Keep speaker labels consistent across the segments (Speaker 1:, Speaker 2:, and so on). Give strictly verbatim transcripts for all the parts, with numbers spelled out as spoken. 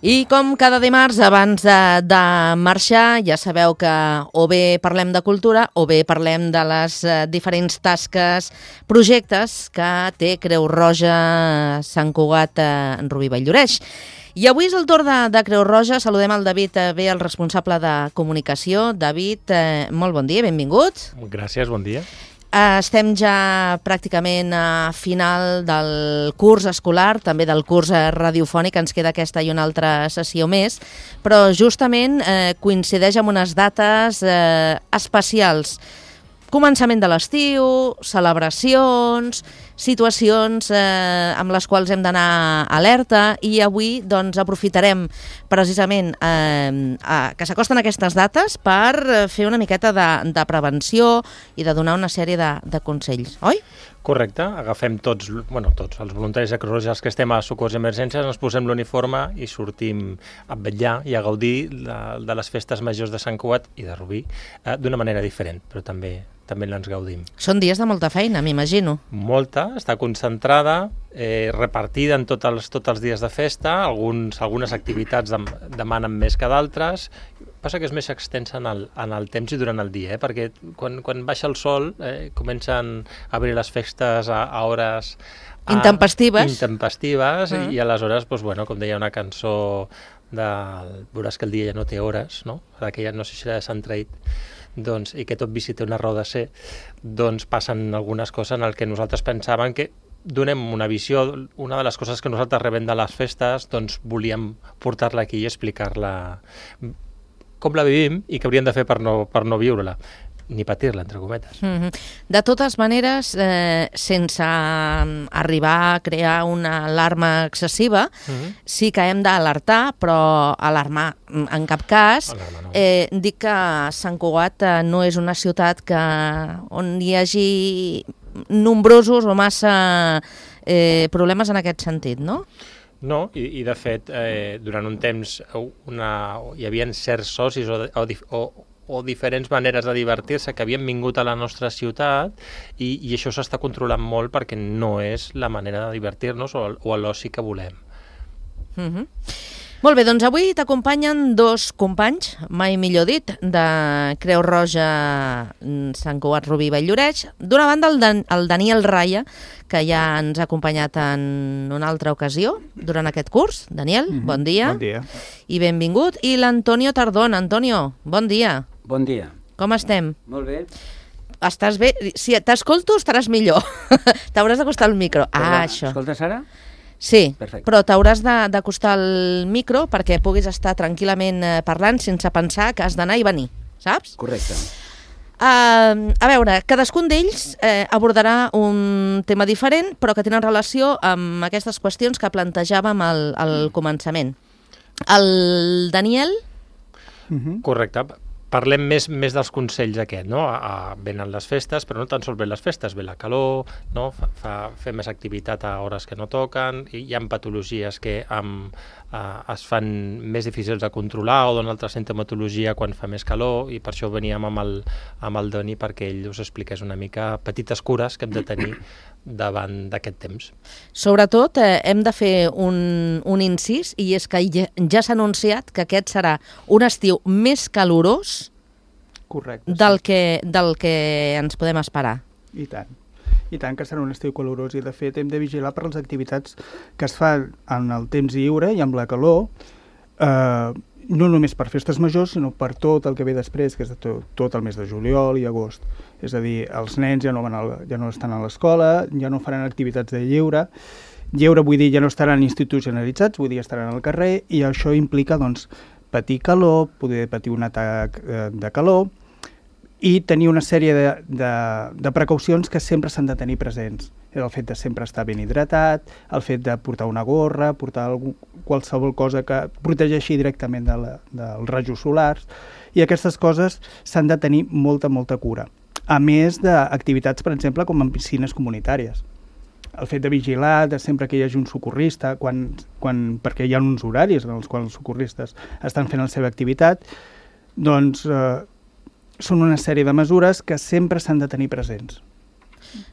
Speaker 1: I com cada dimarts, abans de, de marxar, ja sabeu que o bé parlem de cultura o bé parlem de les eh, diferents tasques, projectes que té Creu Roja Sant Cugat eh, en Rubí Valllloreix. I avui és el torn de, de Creu Roja. Saludem el David eh, bé, el responsable de comunicació. David, eh, molt bon dia, benvingut.
Speaker 2: Gràcies, bon dia.
Speaker 1: Estem ja pràcticament a final del curs escolar, també del curs radiofònic, ens queda aquesta i una altra sessió més, però justament eh, coincideix amb unes dates eh, especials. Començament de l'estiu, celebracions, situacions eh, amb les quals hem d'anar alerta, i avui doncs, aprofitarem precisament eh, a, que s'acosten aquestes dates per fer una miqueta de, de prevenció i de donar una sèrie de, de consells, oi?
Speaker 2: Correcte, agafem tots, bueno, tots els voluntaris de Creu Roja, els que estem a Socors i Emergències, ens posem l'uniforme i sortim a vetllar i a gaudir de, de les festes majors de Sant Cugat i de Rubí eh, d'una manera diferent, però també també ens gaudim.
Speaker 1: Són dies de molta feina, m'imagino.
Speaker 2: Molta, està concentrada, eh, repartida en tots els, tots els dies de festa, alguns, algunes activitats dem, demanen més que d'altres, passa que és més extensa en el, en el temps i durant el dia, eh? Perquè quan, quan baixa el sol eh, comencen a obrir les festes a, a hores... A,
Speaker 1: intempestives.
Speaker 2: Intempestives,
Speaker 1: uh-huh.
Speaker 2: I aleshores, doncs, bueno, com deia una cançó, de, veuràs que el dia ja no té hores, no? Aquella, no sé si era de Sant Traït, doncs, i que tot vici té una raó de ser, doncs passen algunes coses en el que nosaltres pensàvem que donem una visió, una de les coses que nosaltres rebem de les festes, doncs volíem portar-la aquí i explicar-la com la vivim i què hauríem de fer per no, per no viure-la, ni patir-la, entre cometes.
Speaker 1: Mm-hmm. De totes maneres, eh, sense arribar a crear una alarma excessiva, mm-hmm. sí que hem d'alertar, però alarmar en cap cas.
Speaker 2: Alarma, no.
Speaker 1: eh, dic que Sant Cugat eh, no és una ciutat que, on hi hagi nombrosos o massa eh, problemes en aquest sentit, no?
Speaker 2: No, i, i de fet, eh, durant un temps una, hi havia certs socis o, o, o o diferents maneres de divertir-se que havien vingut a la nostra ciutat i, i això s'està controlant molt perquè no és la manera de divertir-nos o, o l'oci que volem.
Speaker 1: Mm-hmm. Molt bé, doncs avui t'acompanyen dos companys, mai millor dit, de Creu Roja Sant Cugat Rubí Valllloreix. D'una banda el, Dan, el Daniel Raya, que ja ens ha acompanyat en una altra ocasió durant aquest curs. Daniel, mm-hmm. bon dia.
Speaker 3: Bon dia.
Speaker 1: I benvingut. I l'Antonio Tardón. Antonio, bon dia.
Speaker 4: Bon dia.
Speaker 1: Com estem?
Speaker 4: Molt bé.
Speaker 1: Estàs bé? Si t'escolto estaràs millor. T'hauràs d'acostar al micro.
Speaker 4: Perdona,
Speaker 1: ah, això.
Speaker 4: Escoltes ara?
Speaker 1: Sí,
Speaker 4: perfecte. Però
Speaker 1: t'hauràs d'acostar al micro perquè puguis estar tranquil·lament parlant sense pensar que has d'anar i venir, saps?
Speaker 4: Correcte.
Speaker 1: Uh, a veure, cadascun d'ells eh, abordarà un tema diferent, però que tenen relació amb aquestes qüestions que plantejàvem al, al començament. El Daniel?
Speaker 2: Mm-hmm. Correcte. Parlem més, més dels consells aquest, no? A, a, venen les festes, però no tan sols ven les festes, ve la calor, no? Fa, fa, fer més activitat a hores que no toquen, i hi ha patologies que amb, a, es fan més difícils de controlar o d'una altra sintomatologia quan fa més calor, i per això veníem amb el, amb el Doni perquè ell us expliqués una mica petites cures que hem de tenir davant d'aquest temps.
Speaker 1: Sobretot eh, hem de fer un, un incís, i és que ja, ja s'ha anunciat que aquest serà un estiu més calorós.
Speaker 3: Correcte,
Speaker 1: del,
Speaker 3: sí.
Speaker 1: que, del que ens podem esperar.
Speaker 3: I tant. I tant que serà un estiu calorós, i de fet hem de vigilar per les activitats que es fan en el temps lliure i amb la calor, eh, no només per festes majors, sinó per tot el que ve després, que és tot, tot el mes de juliol i agost. És a dir, els nens ja no, van a, ja no estan a l'escola, ja no faran activitats de lleure. Lleure vull dir ja no estaran institucionalitzats, vull dir estaran al carrer, i això implica doncs, patir calor, poder patir un atac eh, de calor, i tenir una sèrie de, de, de precaucions que sempre s'han de tenir presents. El fet de sempre estar ben hidratat, el fet de portar una gorra, portar algú, qualsevol cosa que protegeixi directament de la, dels rajos solars, i aquestes coses s'han de tenir molta, molta cura. A més d'activitats, per exemple, com en piscines comunitàries. El fet de vigilar, de sempre que hi hagi un socorrista, quan, quan, perquè hi ha uns horaris en els quals els socorristes estan fent la seva activitat, doncs eh, són una sèrie de mesures que sempre s'han de tenir presents.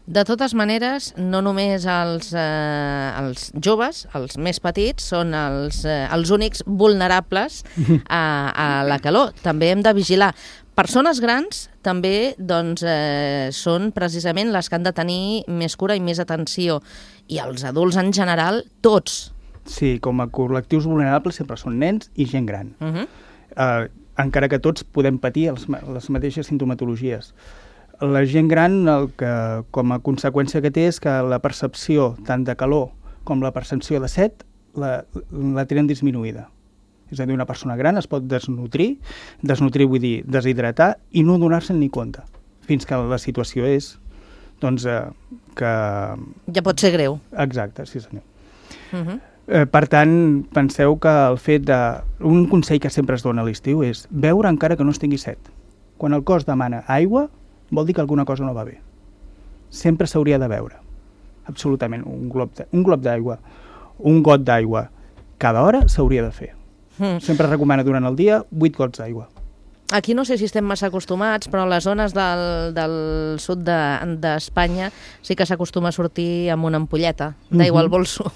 Speaker 1: De totes maneres, no només els, eh, els joves, els més petits, són els, eh, els únics vulnerables a, a la calor. També hem de vigilar. Persones grans també doncs, eh, són precisament les que han de tenir més cura i més atenció. I els adults en general, tots.
Speaker 3: Sí, com a col·lectius vulnerables sempre són nens i gent gran. Uh -huh. eh, encara que tots podem patir els, les mateixes sintomatologies. La gent gran, el que, com a conseqüència que té, és que la percepció tant de calor com la percepció de set la, la tenen disminuïda. És a dir, una persona gran es pot desnutrir, desnutrir vull dir deshidratar, i no donar-se'n ni compte, fins que la situació és doncs, eh, que...
Speaker 1: Ja pot ser greu.
Speaker 3: Exacte, sí senyor.
Speaker 1: Uh -huh.
Speaker 3: eh, per tant, penseu que el fet de... Un consell que sempre es dona a l'estiu és beure encara que no es tingui set. Quan el cos demana aigua, vol dir que alguna cosa no va bé. Sempre s'hauria de beure. Absolutament. Un glob de, un glob d'aigua, un got d'aigua, cada hora s'hauria de fer. Mm. Sempre es recomana durant el dia vuit gots d'aigua.
Speaker 1: Aquí no sé si estem massa acostumats, però a les zones del, del sud d'Espanya de, sí que s'acostuma a sortir amb una ampolleta d'aigua al bolso.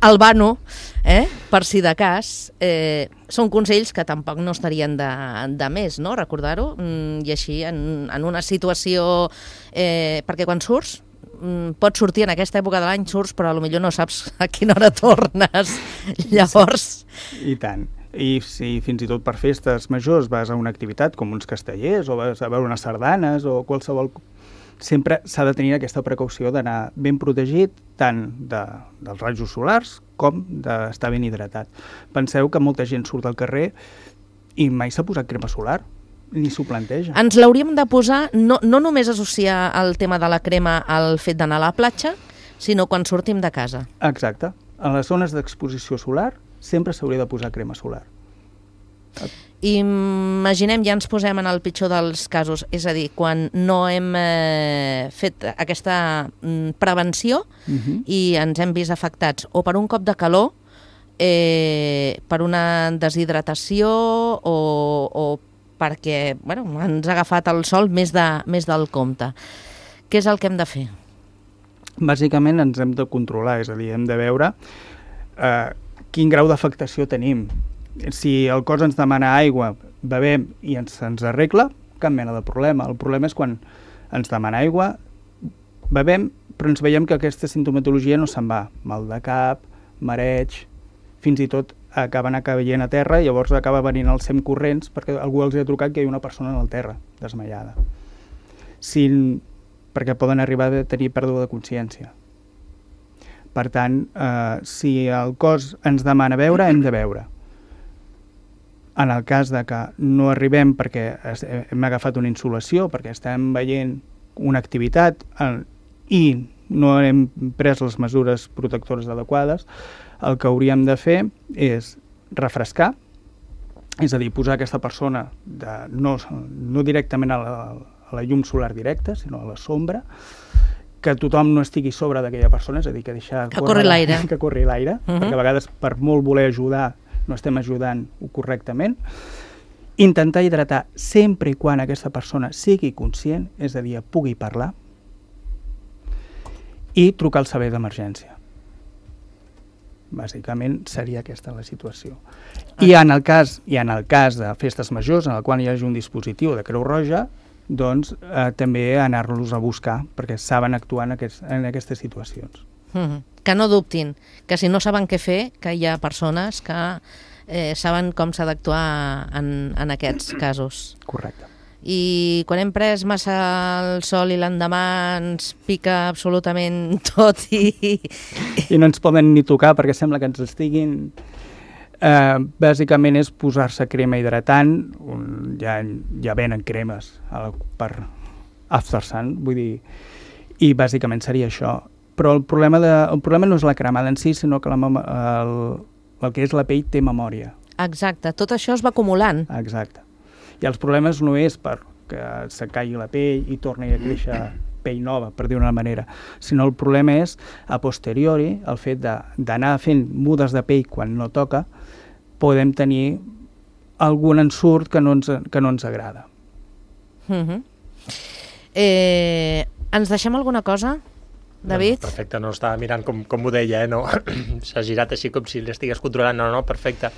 Speaker 1: El vano, eh? Per si de cas, eh, són consells que tampoc no estarien de, de més, no? Recordar-ho. Mm, I així, en, en una situació... Eh, perquè quan surts, mm, pots sortir en aquesta època de l'any, surts, però potser no saps a quina hora tornes. Llavors...
Speaker 3: I tant. I si fins i tot per festes majors vas a una activitat com uns castellers o vas a veure unes sardanes o qualsevol... Sempre s'ha de tenir aquesta precaució d'anar ben protegit tant de, dels rajos solars com d'estar ben hidratat. Penseu que molta gent surt al carrer i mai s'ha posat crema solar, ni s'ho planteja.
Speaker 1: Ens l'hauríem de posar, no, no només associar el tema de la crema al fet d'anar a la platja, sinó quan sortim de casa.
Speaker 3: Exacte. En les zones d'exposició solar sempre s'hauria de posar crema solar.
Speaker 1: I imaginem, ja ens posem en el pitjor dels casos, és a dir, quan no hem eh, fet aquesta mm, prevenció uh-huh. i ens hem vist afectats o per un cop de calor, eh, per una deshidratació o, o perquè bueno, ens ha agafat el sol més, de, més del compte. Què és el que hem de fer?
Speaker 3: Bàsicament ens hem de controlar, és a dir, hem de veure eh, quin grau d'afectació tenim. Si el cos ens demana aigua, bevem i ens, ens arregla, cap mena de problema. El problema és quan ens demana aigua, bevem, però ens veiem que aquesta sintomatologia no se'n va. Mal de cap, mareig, fins i tot acaben caient a terra i llavors acaba venint els S E M corrents perquè algú els ha trucat que hi ha una persona al terra, desmaiada. Si, perquè poden arribar a tenir pèrdua de consciència. Per tant, eh, si el cos ens demana beure, hem de beure. En el cas de que no arribem perquè hem agafat una insolació, perquè estem veient una activitat eh, i no hem pres les mesures protectores adequades, el que hauríem de fer és refrescar, és a dir, posar aquesta persona de, no, no directament a la, a la llum solar directa, sinó a la sombra, que tothom no estigui sobre d'aquella persona, és a dir, que deixar
Speaker 1: que corri l'aire.
Speaker 3: Que corri l'aire, uh-huh. perquè a vegades per molt voler ajudar no estem ajudant correctament. Intentar hidratar sempre i quan aquesta persona sigui conscient, és a dir, pugui parlar, i trucar al servei d'emergència. Bàsicament seria aquesta la situació. I en el cas, i en el cas de festes majors, en el qual hi hagi un dispositiu de Creu Roja, doncs eh, també anar-los a buscar, perquè saben actuar en, aquest, en aquestes situacions.
Speaker 1: Mm-hmm. Que no dubtin, que si no saben què fer, que hi ha persones que eh, saben com s'ha d'actuar en, en aquests casos.
Speaker 3: Correcte.
Speaker 1: I quan hem pres massa el sol i l'endemà ens pica absolutament tot i...
Speaker 3: I no ens poden ni tocar perquè sembla que ens estiguin... Eh, bàsicament és posar-se crema hidratant, un, ja, ja venen cremes el, per After Sun, vull dir, i bàsicament seria això. Però el problema, de, el problema no és la cremada en si, sinó que la, el, el que és la pell té memòria.
Speaker 1: Exacte, tot això es va acumulant.
Speaker 3: Exacte. I els problemes no és perquè se caigui la pell i torni a créixer pell nova, per dir-ho d'una manera, sinó el problema és, a posteriori, el fet d'anar fent mudes de pell quan no toca, podem tenir algun ensurt que no ens, que no ens agrada.
Speaker 1: Mm-hmm. eh, Ens deixem alguna cosa, David?
Speaker 2: No, perfecte, no estava mirant com, com ho deia, eh? No? S'ha girat així com si l'estigués controlant. No, no, perfecte.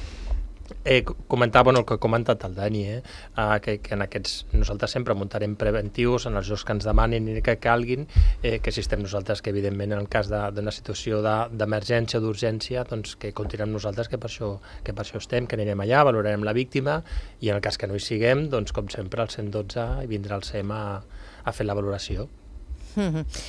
Speaker 2: Eh, comentar, bueno, el que ha comentat el Dani, eh? Uh, que, que en aquests nosaltres sempre muntarem preventius en els jocs que ens demanin i que calguin, eh, que si estem nosaltres, que evidentment en el cas d'una situació d'emergència o d'urgència, doncs que comptin amb nosaltres, que per, això, que per això estem, que anirem allà, valorarem la víctima, i en el cas que no hi siguem, doncs com sempre el cent dotze i vindrà el S E M a, a fer la valoració.
Speaker 1: Mm-hmm.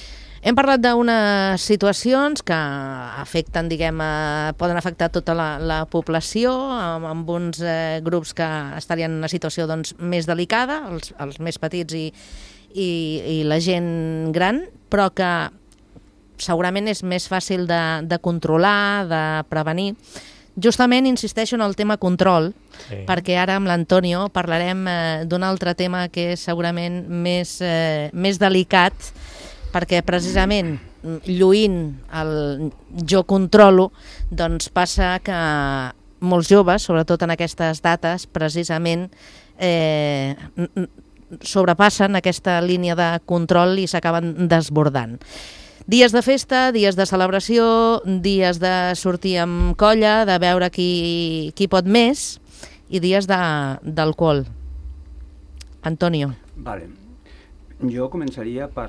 Speaker 1: Hem parlat d'unes situacions que afecten, diguem, eh, poden afectar tota la, la població, amb, amb uns eh, grups que estarien en una situació doncs, més delicada, els, els més petits i, i, i la gent gran, però que segurament és més fàcil de, de controlar, de prevenir. Justament insisteixo en el tema control, sí. perquè ara amb l'Antonio parlarem eh, d'un altre tema que és segurament més, eh, més delicat, perquè precisament lluint el jo controlo, doncs passa que molts joves, sobretot en aquestes dates, precisament eh, sobrepassen aquesta línia de control i s'acaben desbordant. Dies de festa, dies de celebració, dies de sortir amb colla, de veure qui, qui pot més, i dies d'alcohol. Antonio.
Speaker 4: Vale. Jo començaria per...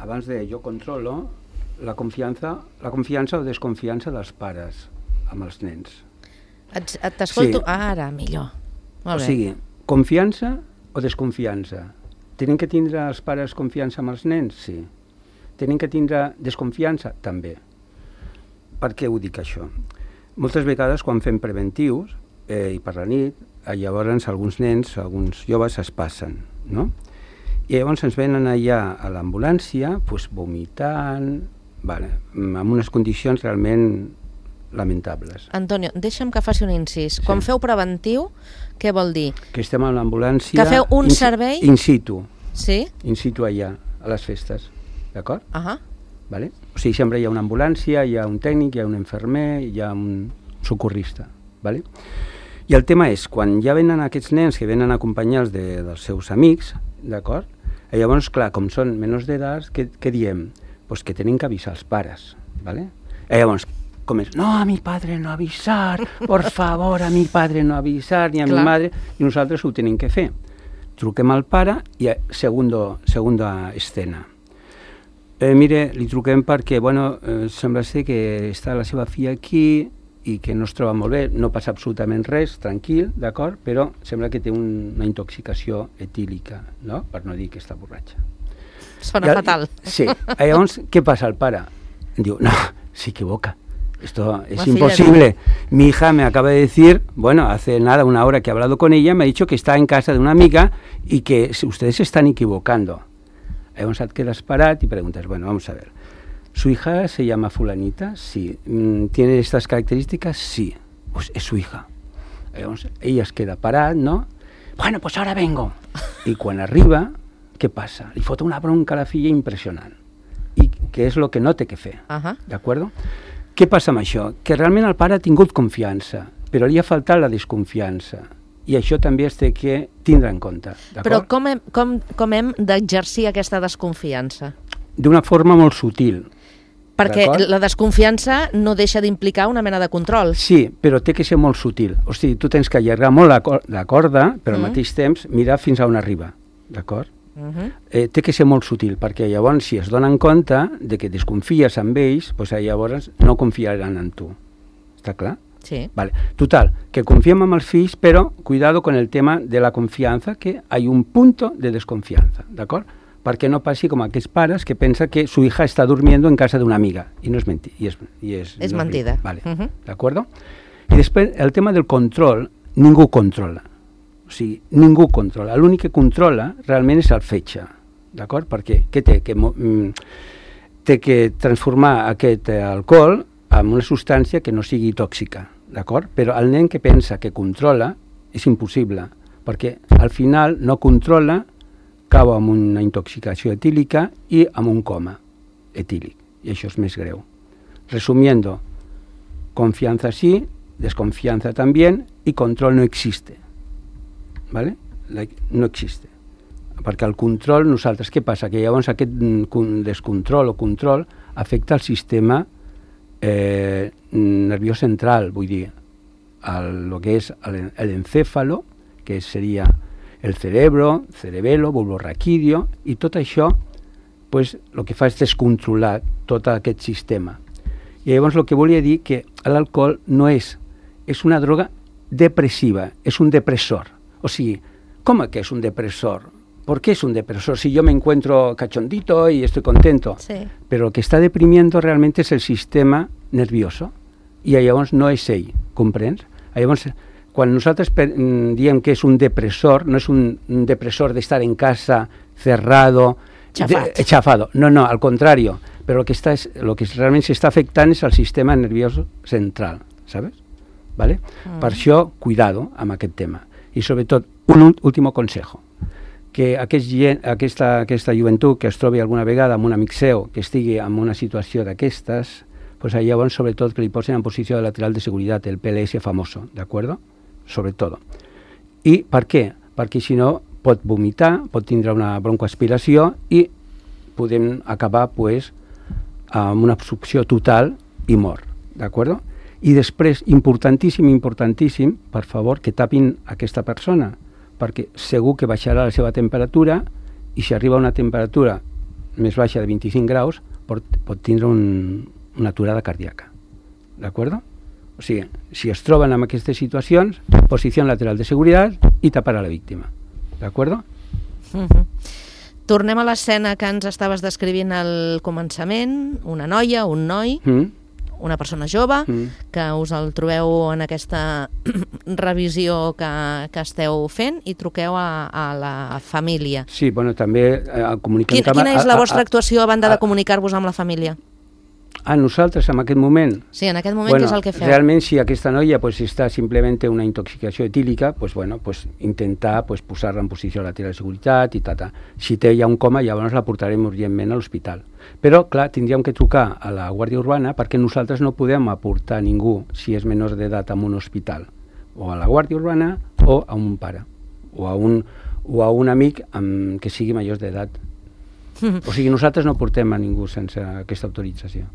Speaker 4: Abans de jo controlo, la confiança, la confiança o desconfiança dels pares amb els nens.
Speaker 1: T'escolto
Speaker 4: sí.
Speaker 1: Ara, millor. Molt bé.
Speaker 4: O sigui, confiança o desconfiança. Tenen que tindre els pares confiança amb els nens? Sí. Tenen que tindre desconfiança? També. Per què ho dic això? Moltes vegades quan fem preventius, eh, i per la nit, llavors alguns nens, alguns joves es passen, no? I llavors ens venen allà a l'ambulància pues, vomitant, vale, amb unes condicions realment lamentables.
Speaker 1: Antonio, deixa'm que faci un incís. Sí. Quan feu preventiu, què vol dir?
Speaker 4: Que estem a l'ambulància...
Speaker 1: Que feu un
Speaker 4: in,
Speaker 1: servei...
Speaker 4: In situ.
Speaker 1: Sí?
Speaker 4: In situ allà, a les festes, d'acord?
Speaker 1: Uh -huh.
Speaker 4: Vale? O sigui, sempre hi ha una ambulància, hi ha un tècnic, hi ha un infermer, hi ha un socorrista, vale? I el tema és, quan ja venen aquests nens que venen acompanyats de, dels seus amics, d'acord? I llavors, clar, com són menors d'edat, què, què diem? Pues que tenen que avisar els pares, ¿vale? I llavors, com és? No, a mi padre no avisar, por favor, a mi padre no avisar, ni a clar. Mi madre, i nosaltres ho tenim que fer. Truquem al pare i segundo, segunda escena. Eh, mire, li truquem perquè, bueno, eh, sembla ser que està la seva filla aquí, i que no es troba molt bé, no passa absolutament res, tranquil, d'acord? Però sembla que té un, una intoxicació etílica, no? Per no dir que està borratxa.
Speaker 1: Sona
Speaker 4: I,
Speaker 1: fatal.
Speaker 4: Sí. Llavors, què passa el pare? Diu, no, s'equivoca. Esto es imposible. Mi hija me acaba de decir, bueno, hace nada, una hora que he hablado con ella, me ha dicho que está en casa de una amiga y que ustedes se están equivocando. Llavors et quedes parat i preguntes, bueno, vamos a ver. ¿Su hija se llama fulanita? Sí. ¿Tiene estas características? Sí. Pues es su hija. Llavors, ella es queda parat, no? Bueno, pues ahora vengo. I quan arriba, què passa? Li fot una bronca a la filla impressionant. I què és el que no té que fer.
Speaker 1: Uh-huh.
Speaker 4: D'acord? Què passa amb això? Que realment el pare ha tingut confiança, però li ha faltat la desconfiança. I això també es té que tindre en compte.
Speaker 1: Però com hem, com, com hem d'exercir aquesta desconfiança?
Speaker 4: D'una forma molt sutil.
Speaker 1: Perquè la desconfiança no deixa d'implicar una mena de control.
Speaker 4: Sí, però té que ser molt sutil. O sigui, tu tens que allargar molt la, cor la corda, però al mm. mateix temps mirar fins a on arriba. D'acord? Uh -huh. eh, té que ser molt sutil, perquè llavors si es donen compte de que desconfies amb ells, doncs llavors no confiaran en tu. Està clar?
Speaker 1: Sí.
Speaker 4: Vale. Total, que confiem en els fills, però cuidado con el tema de la confianza, que hay un punto de desconfianza, d'acord? Perquè no passi com aquests pares que pensa que su hija està durmiendo en casa d'una amiga, i no és mentida. I és, i és,
Speaker 1: és
Speaker 4: no
Speaker 1: mentida.
Speaker 4: Vale.
Speaker 1: Uh -huh.
Speaker 4: D'acord? I després, el tema del control, ningú controla. O sigui, ningú controla. L'únic que controla realment és el fetge. D'acord? Perquè què té? Que, mm, té que transformar aquest eh, alcohol en una substància que no sigui tòxica. D'acord? Però el nen que pensa que controla és impossible, perquè al final no controla, cau amb una intoxicació etílica i amb un coma etílic, i això és més greu. Resumiendo, confianza sí, desconfianza también, y control no existe. ¿Vale? No existe. perquè el control, nosaltres, què passa? Que llavors aquest descontrol o control afecta el sistema eh, nerviós central, vull dir, el, lo que és l'encéfalo, que seria el cerebro, cerebelo, bulbo raquídeo, i tot això, pues, el que fa és descontrolar tot aquest sistema. I llavors el que volia dir que l'alcohol no és, és una droga depressiva, és un depressor. O sigui, com que és un depressor? ¿Por qué es un depresor? Si yo me encuentro cachondito y estoy contento. Sí. Pero lo que está deprimiendo realmente es el sistema nervioso. I llavors no és ell, comprens? Llavors, quan nosaltres per, diem que és un depressor, no és un, un depressor d'estar en casa, cerrado,
Speaker 1: Chafat.
Speaker 4: de, chafado. No, no, al contrario. Pero lo que, está es, lo que realment s'està afectant és el sistema nervioso central, ¿sabes? ¿Vale? Mm. Per això, cuidado amb aquest tema. I sobretot, un últim consejo. Que aquest, aquesta, aquesta joventut que es trobi alguna vegada amb un amic seu que estigui en una situació d'aquestes, pues llavors sobretot que li posen en posició de lateral de seguretat, el P L S famoso, d'acord? Sobretot. I per què? Perquè si no pot vomitar, pot tindre una broncoaspiració i podem acabar pues, amb una obstrucció total i mort, d'acord? I després, importantíssim, importantíssim, per favor, que tapin aquesta persona, perquè segur que baixarà la seva temperatura i si arriba a una temperatura més baixa de vint-i-cinc graus pot, pot tindre un, una aturada cardíaca. D'acord? O sigui, si es troben en aquestes situacions, posició lateral de seguretat i tapar a la víctima. D'acord?
Speaker 1: Uh-huh. Tornem a l'escena que ens estaves descrivint al començament, una noia, un noi... Mm. una persona jove, mm. que us el trobeu en aquesta revisió que, que esteu fent i truqueu a, a la família.
Speaker 4: Sí, bueno, també eh, comuniquem...
Speaker 1: Quina, quina és la vostra actuació a banda de comunicar-vos amb la família?
Speaker 4: A nosaltres, en aquest moment?
Speaker 1: Sí, en aquest moment,
Speaker 4: bueno,
Speaker 1: què és el que feu?
Speaker 4: Realment, si aquesta noia pues, està simplement una intoxicació etílica, pues, bueno, pues, intentar pues, posar-la en posició lateral de seguretat i tata. Si té ja un coma, llavors la portarem urgentment a l'hospital. Però, clar, tindríem que trucar a la Guàrdia Urbana perquè nosaltres no podem aportar ningú, si és menor d'edat, a un hospital. O a la Guàrdia Urbana o a un pare. O a un, o a un amic amb, que sigui majors d'edat. O sigui, nosaltres no portem a ningú sense aquesta autorització.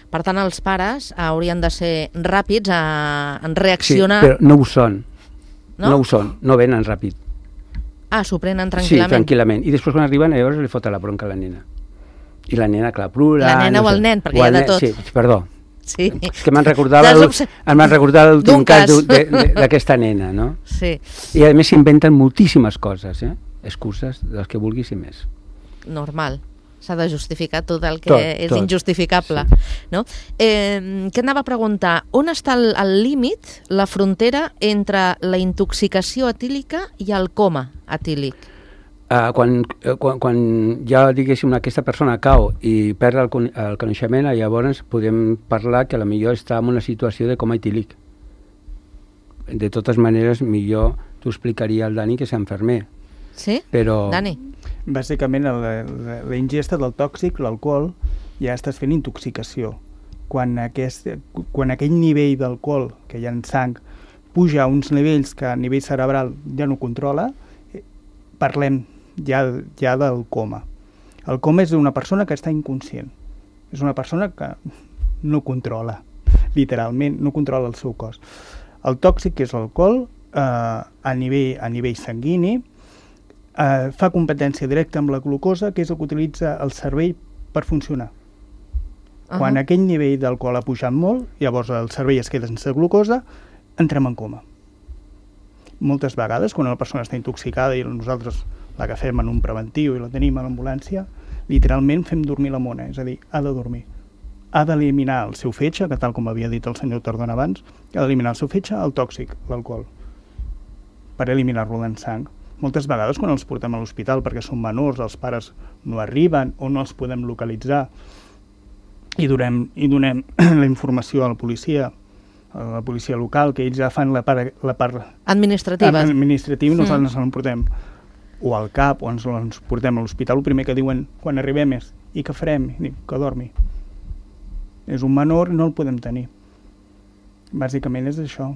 Speaker 1: Per tant, els pares haurien de ser ràpids a, en reaccionar...
Speaker 4: Sí, però no ho són. No, no ho són, no venen ràpid.
Speaker 1: Ah, s'ho prenen tranquil·lament?
Speaker 4: Sí, tranquil·lament. I després quan arriben, llavors li fota la bronca a la nena. I la nena, clar, plora...
Speaker 1: La nena no o el sé, nen, perquè hi ha de tot.
Speaker 4: Sí, perdó.
Speaker 1: Sí.
Speaker 4: És que m'han recordat l'últim cas d'aquesta nena, no?
Speaker 1: Sí.
Speaker 4: I a més s'inventen moltíssimes coses, eh? Excuses de les que vulguis i més.
Speaker 1: Normal. S'ha de justificar tot el que
Speaker 4: tot,
Speaker 1: és
Speaker 4: tot.
Speaker 1: injustificable. Sí. No? Eh, què anava a preguntar? On està el, el límit, la frontera entre la intoxicació etílica i el coma etílic?
Speaker 4: Uh, quan, quan, quan ja, diguéssim, aquesta persona cau i perd el, el coneixement, llavors podem parlar que potser està en una situació de coma etílic. De totes maneres, millor t'ho explicaria el Dani, que és enfermer.
Speaker 1: Sí?
Speaker 4: Però...
Speaker 1: Dani?
Speaker 3: Bàsicament, la, la, la ingesta del tòxic, l'alcohol, ja estàs fent intoxicació. Quan, aquest, quan aquell nivell d'alcohol que hi ha en sang puja a uns nivells que a nivell cerebral ja no controla, parlem ja, ja del coma. El coma és una persona que està inconscient. És una persona que no controla, literalment, no controla el seu cos. El tòxic, que és l'alcohol, eh, a, nivell, a nivell sanguini, eh, fa competència directa amb la glucosa, que és el que utilitza el cervell per funcionar. Uh-huh. Quan aquell nivell d'alcohol ha pujat molt, llavors el cervell es queda sense glucosa, entrem en coma. Moltes vegades, quan una persona està intoxicada i nosaltres l'agafem en un preventiu i la tenim a l'ambulància, literalment fem dormir la mona, és a dir, ha de dormir. Ha d'eliminar el seu fetge, que tal com havia dit el senyor Tardona abans, ha d'eliminar el seu fetge, el tòxic, l'alcohol, per eliminar-lo en sang. Moltes vegades quan els portem a l'hospital perquè són menors, els pares no arriben o no els podem localitzar i donem, i donem la informació a la policia, a la policia local, que ells ja fan la part, la part
Speaker 1: administrativa,
Speaker 3: administrativa i nosaltres mm. ens portem o al CAP o ens, ens portem a l'hospital. El primer que diuen quan arribem és i què farem? I dic, que dormi. És un menor i no el podem tenir. Bàsicament és això.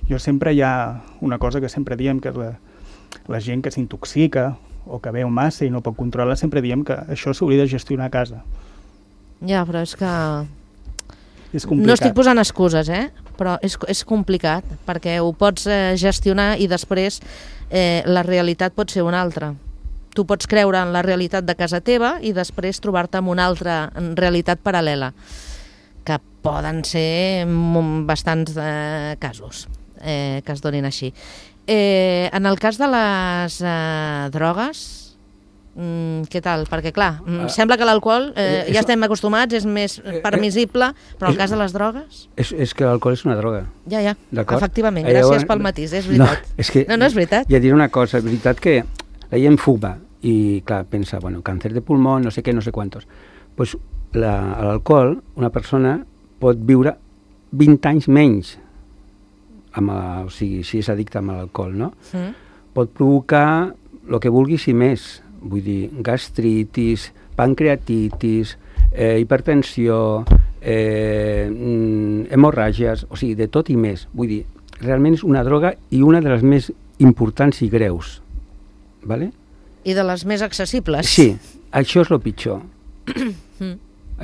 Speaker 3: Jo sempre hi ha una cosa que sempre diem, que és la, la gent que s'intoxica o que veu massa i no pot controlar, sempre diem que això s'hauria de gestionar a casa.
Speaker 1: Ja, però és que...
Speaker 3: És complicat.
Speaker 1: No estic posant excuses, eh? Però és, és complicat, perquè ho pots eh, gestionar i després eh, la realitat pot ser una altra. Tu pots creure en la realitat de casa teva i després trobar-te en una altra realitat paral·lela, que poden ser bastants eh, casos eh, que es donin així. Eh, en el cas de les eh, drogues, mm, què tal? Perquè, clar, uh, sembla que l'alcohol, eh, ja estem acostumats, és més permissible, però en el cas de les drogues...
Speaker 4: És, és que l'alcohol és una droga.
Speaker 1: Ja, ja, efectivament,
Speaker 4: eh,
Speaker 1: gràcies pel matís, és veritat.
Speaker 4: No, és que,
Speaker 1: no, no és veritat.
Speaker 4: Ja diré una cosa, és veritat que la gent fuma i, clar, pensa, bueno, càncer de pulmó, no sé què, no sé quantos. Pues l'alcohol, una persona pot viure vint anys menys, amb, o sigui, si és addicte amb l'alcohol, no? Mm. Pot provocar el que vulguis i més, vull dir, gastritis, pancreatitis, eh, hipertensió, eh, hemorràgies, o sigui, de tot i més. Vull dir, realment és una droga i una de les més importants i greus. Vale?
Speaker 1: I de les més accessibles.
Speaker 4: Sí, això és el pitjor. mm.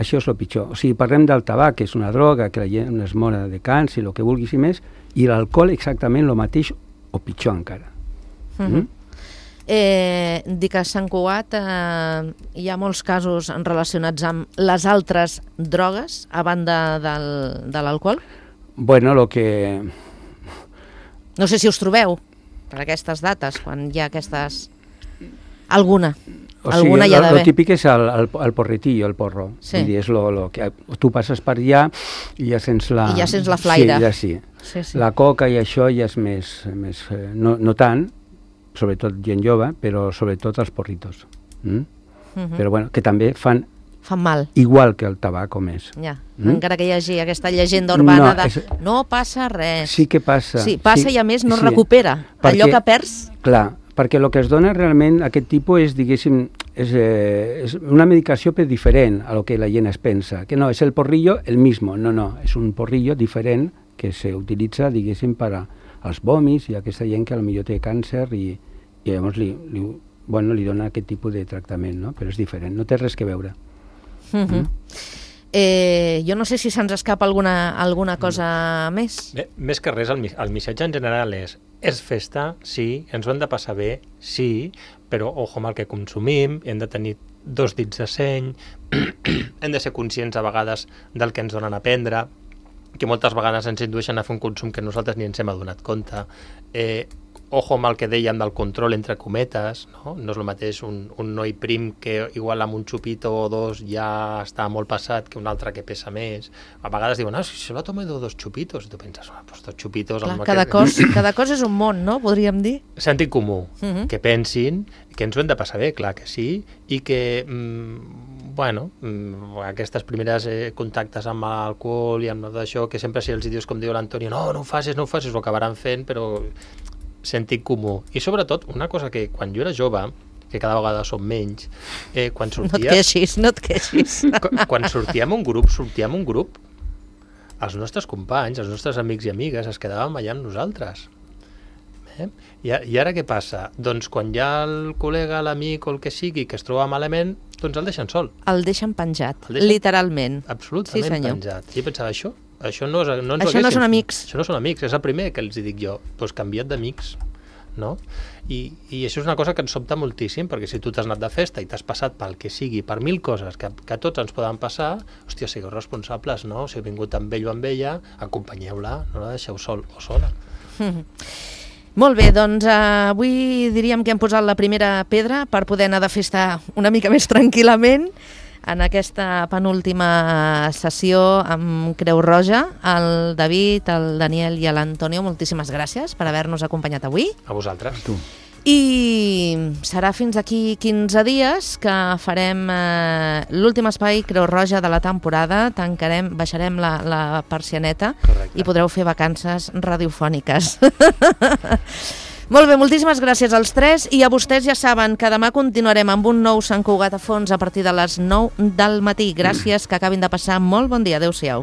Speaker 4: Això és el pitjor. O sigui, parlem del tabac, que és una droga, que la gent es mora de càncer, el que vulguis i més, i l'alcohol exactament el mateix o pitjor encara.
Speaker 1: Mm-hmm. Mm? Eh, dic que a Sant Cugat eh, hi ha molts casos relacionats amb les altres drogues a banda del, de l'alcohol?
Speaker 4: Bueno, el que...
Speaker 1: No sé si us trobeu per aquestes dates, quan hi ha aquestes... Alguna.
Speaker 4: O
Speaker 1: Alguna
Speaker 4: sigui,
Speaker 1: hi ha d'haver.
Speaker 4: El típic és el, el, el porretillo, el porro.
Speaker 1: Sí.
Speaker 4: Vull dir, és lo, lo que tu passes per allà i ja sents la...
Speaker 1: I ja sents la flaire.
Speaker 4: Sí, ja sí.
Speaker 1: Sí, sí.
Speaker 4: La coca i això ja és més... més eh, no, no tant, sobretot gent jove, però sobretot els porritos. Mm? Uh-huh. Però bueno, que també fan...
Speaker 1: Fan mal.
Speaker 4: Igual que el tabac o més.
Speaker 1: Ja, mm? Encara que hi hagi aquesta llegenda urbana no, de és... no passa res.
Speaker 4: Sí que passa.
Speaker 1: Sí, passa sí, i a més no
Speaker 4: sí.
Speaker 1: recupera. Perquè, allò que perds...
Speaker 4: Clar, perquè el que es dona realment aquest tipus és, diguéssim, és, eh, és una medicació però diferent a lo que la gent es pensa. Que no, és el porrillo el mismo. No, no, és un porrillo diferent que s'utilitza, diguéssim, per als vòmits i aquesta gent que potser té càncer i, i llavors li, li, bueno, li dona aquest tipus de tractament, no? Però és diferent, no té res que veure.
Speaker 1: Mm-hmm. mm. Eh, jo no sé si se'ns escapa alguna, alguna cosa mm. més.
Speaker 2: Bé, més que res, el, el missatge en general és és festa, sí, ens ho hem de passar bé, sí, però ojo amb el que consumim, hem de tenir dos dits de seny, hem de ser conscients a vegades del que ens donen a prendre, que moltes vegades ens indueixen a fer un consum que nosaltres ni ens hem adonat compte. Eh, ojo amb el que dèiem del control entre cometes, no? No és el mateix un, un noi prim que igual amb un xupito o dos ja està molt passat que un altre que pesa més. A vegades diuen, ah, si solo tomo dos chupitos, i tu penses, ah, pues dos chupitos...
Speaker 1: Clar, cada, que... cos, cada cos és un món, no? Podríem dir.
Speaker 2: Sentit comú, uh-huh. que pensin que ens ho hem de passar bé, clar que sí, i que, mm, bueno, mm, aquestes primeres eh, contactes amb l'alcohol i amb tot això, que sempre si els dius, com diu l'Antonio, no, no ho facis, no ho facis, ho acabaran fent, però... sentit comú. I sobretot, una cosa que quan jo era jove, que cada vegada som menys, eh, quan sortia...
Speaker 1: No et queixis, no et queixis.
Speaker 2: Quan sortíem un grup, sortíem un grup, els nostres companys, els nostres amics i amigues es quedaven allà amb nosaltres. Eh? I, I ara què passa? Doncs quan hi ha el col·lega, l'amic o el que sigui que es troba malament, doncs el deixen sol.
Speaker 1: El deixen penjat,
Speaker 2: el deixen...
Speaker 1: literalment.
Speaker 2: Absolutament sí, penjat. I pensava, això... Això no, és, no, ens
Speaker 1: això no són amics.
Speaker 2: Això no són amics, és el primer que els dic jo. Doncs canvia't d'amics, no? I, I això és una cosa que ens sobta moltíssim, perquè si tu t'has anat de festa i t'has passat pel que sigui, per mil coses que, que tots ens poden passar, hòstia, sigueu responsables, no? Si heu vingut amb ell o amb ella, acompanyeu-la, no la deixeu sol o sola.
Speaker 1: Mm. Molt bé, doncs eh, avui diríem que hem posat la primera pedra per poder anar de festa una mica més tranquil·lament, en aquesta penúltima sessió amb Creu Roja. El David, el Daniel i l'Antonio, moltíssimes gràcies per haver-nos acompanyat avui.
Speaker 2: A vosaltres.
Speaker 4: Tu.
Speaker 1: I serà fins aquí quinze dies que farem eh, l'últim espai Creu Roja de la temporada. Tancarem, baixarem la, la persianeta. Correcte. I podreu fer vacances radiofòniques. Molt bé, moltíssimes gràcies als tres i a vostès ja saben que demà continuarem amb un nou Sant Cugat a fons a partir de les nou del matí. Gràcies, que acabin de passar molt bon dia. Adéu-siau.